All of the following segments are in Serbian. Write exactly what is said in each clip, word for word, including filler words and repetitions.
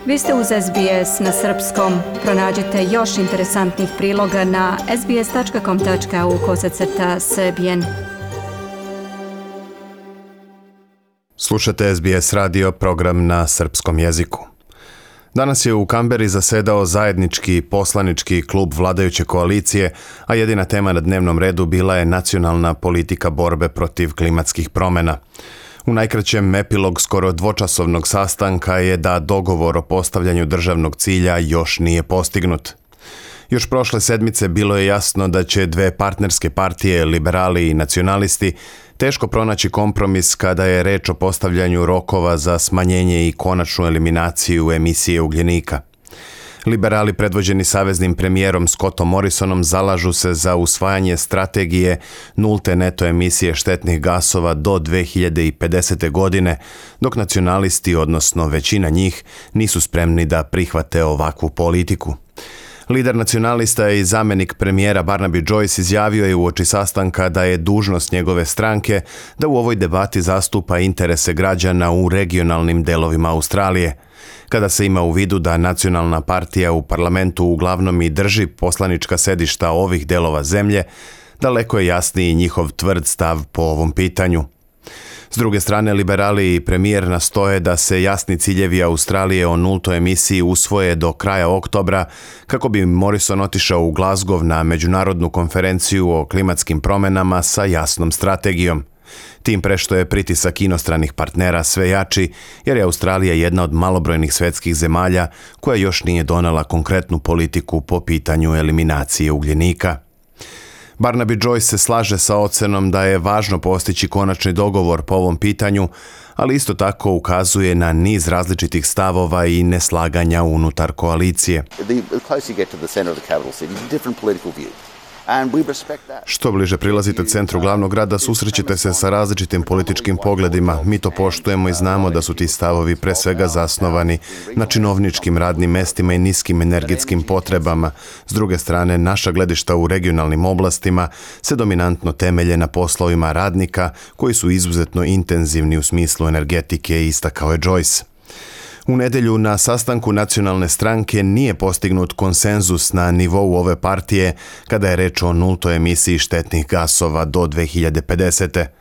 Vi ste uz S B S na srpskom. Pronađite još interesantnih priloga na sbs.com.au kosacrta srbijen. Slušate S B S radio, program na srpskom jeziku. Danas je u Kamberi zasedao zajednički poslanički klub vladajuće koalicije, a jedina tema na dnevnom redu bila je nacionalna politika borbe protiv klimatskih promjena. U najkraćem, epilog skoro dvočasovnog sastanka je da dogovor o postavljanju državnog cilja još nije postignut. Još prošle sedmice bilo je jasno da će dve partnerske partije, liberali i nacionalisti, teško pronaći kompromis kada je reč o postavljanju rokova za smanjenje i konačnu eliminaciju emisije ugljenika. Liberali predvođeni saveznim premijerom Scottom Morrisonom zalažu se za usvajanje strategije nulte neto emisije štetnih gasova do dve hiljade pedesete. godine, dok nacionalisti, odnosno većina njih, nisu spremni da prihvate ovakvu politiku. Lider nacionalista i zamjenik premijera Barnaby Joyce izjavio je uoči sastanka da je dužnost njegove stranke da u ovoj debati zastupa interese građana u regionalnim delovima Australije. Kada se ima u vidu da nacionalna partija u parlamentu uglavnom i drži poslanička sedišta ovih delova zemlje, daleko je jasniji njihov tvrd stav po ovom pitanju. S druge strane, liberali i premijer nastoje da se jasni ciljevi Australije o nultoj emisiji usvoje do kraja oktobra, kako bi Morrison otišao u Glasgow na međunarodnu konferenciju o klimatskim promjenama sa jasnom strategijom. Tim pre što je pritisak inostranih partnera sve jači, jer je Australija jedna od malobrojnih svetskih zemalja koja još nije donela konkretnu politiku po pitanju eliminacije ugljenika. Barnaby Joyce se slaže sa ocenom da je važno postići konačni dogovor po ovom pitanju, ali isto tako ukazuje na niz različitih stavova i neslaganja unutar koalicije. Što bliže prilazite centru glavnog grada, susrećete se sa različitim političkim pogledima. Mi to poštujemo i znamo da su ti stavovi pre svega zasnovani na činovničkim radnim mestima i niskim energetskim potrebama. S druge strane, naša gledišta u regionalnim oblastima se dominantno temelje na poslovima radnika koji su izuzetno intenzivni u smislu energetike, istakao je Joyce. U nedjelju na sastanku nacionalne stranke nije postignut konsenzus na nivou ove partije kada je reč o nultoj emisiji štetnih gasova do dve hiljade pedesete.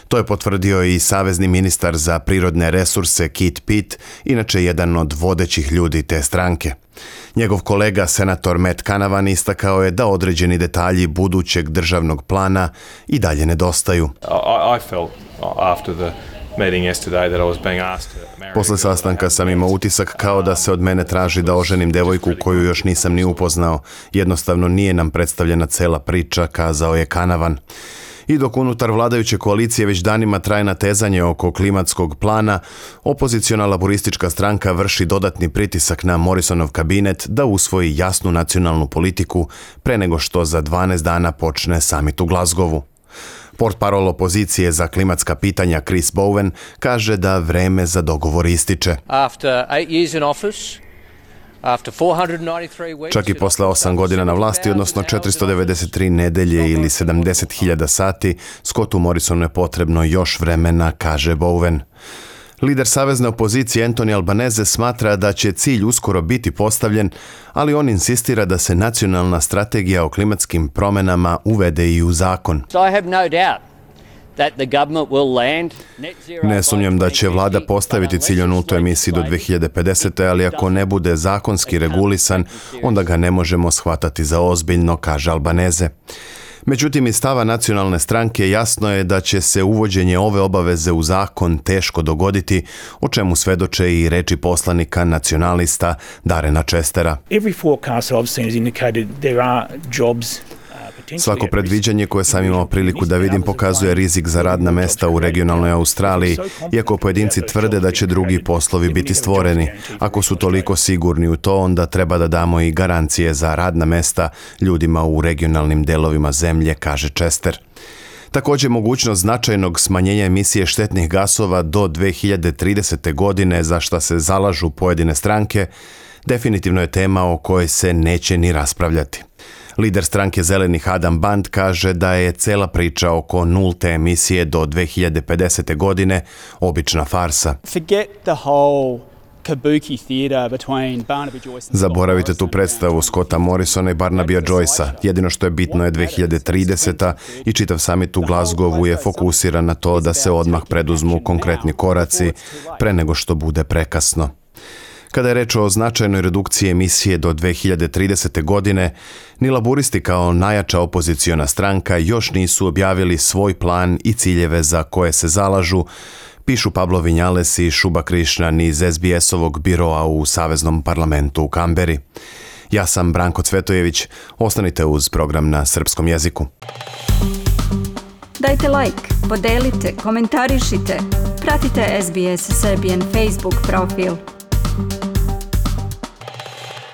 To je potvrdio i savezni ministar za prirodne resurse Kit Pitt, inače jedan od vodećih ljudi te stranke. Njegov kolega, senator Matt Canavan, istakao je da određeni detalji budućeg državnog plana i dalje nedostaju. I, I felt after the Posle sastanka sam imao utisak kao da se od mene traži da oženim devojku koju još nisam ni upoznao. Jednostavno nije nam predstavljena cela priča, kazao je Canavan. I dok unutar vladajuće koalicije već danima traje natezanje oko klimatskog plana, opoziciona laboristička stranka vrši dodatni pritisak na Morrisonov kabinet da usvoji jasnu nacionalnu politiku pre nego što za dvanaest dana počne samit u Glasgowu. Portparol opozicije za klimatska pitanja Chris Bowen kaže da vreme za dogovor ističe. Čak i posle osam godina na vlasti, odnosno četiristo devedeset tri nedelje ili sedamdeset hiljada sati, Scottu Morrisonu je potrebno još vremena, kaže Bowen. Lider savezne opozicije Anthony Albanese smatra da će cilj uskoro biti postavljen, ali on insistira da se nacionalna strategija o klimatskim promjenama uvede i u zakon. Ne sumnjam da će vlada postaviti cilj o nultoj emisiji do dve hiljade pedesete. ali ako ne bude zakonski regulisan, onda ga ne možemo shvatati za ozbiljno, kaže Albanese. Međutim, iz stava nacionalne stranke jasno je da će se uvođenje ove obaveze u zakon teško dogoditi, o čemu svedoče i reči poslanika nacionalista Darrena Chestera. Svako predviđanje koje sam imao priliku da vidim pokazuje rizik za radna mesta u regionalnoj Australiji, iako pojedinci tvrde da će drugi poslovi biti stvoreni. Ako su toliko sigurni u to, onda treba da damo i garancije za radna mesta ljudima u regionalnim delovima zemlje, kaže Chester. Također, mogućnost značajnog smanjenja emisije štetnih gasova do dve hiljade tridesete. godine, za šta se zalažu pojedine stranke, definitivno je tema o kojoj se neće ni raspravljati. Lider stranke Zelenih Adam Band kaže da je cela priča oko nulte emisije do dve hiljade pedesete. godine obična farsa. Forget the whole kabuki theatre between Barnaby Joyce and Zaboravite tu predstavu Scotta Morrisona i Barnabya Joycea. Jedino što je bitno je dve hiljade trideseta i čitav samit u Glasgowu je fokusiran na to da se odmah preduzmu konkretni koraci pre nego što bude prekasno. Kada je reč o značajnoj redukciji emisije do dve hiljade tridesete. godine, ni laburisti kao najjača opoziciona stranka još nisu objavili svoj plan i ciljeve za koje se zalažu, pišu Pablo Vinjales i Šuba Krišnan iz es bi es-ovog biroa u Saveznom parlamentu u Kamberi. Ja sam Branko Cvetojević, ostanite uz program na srpskom jeziku. Dajte like, podelite, komentarišite, pratite es bi es Serbian Facebook profil.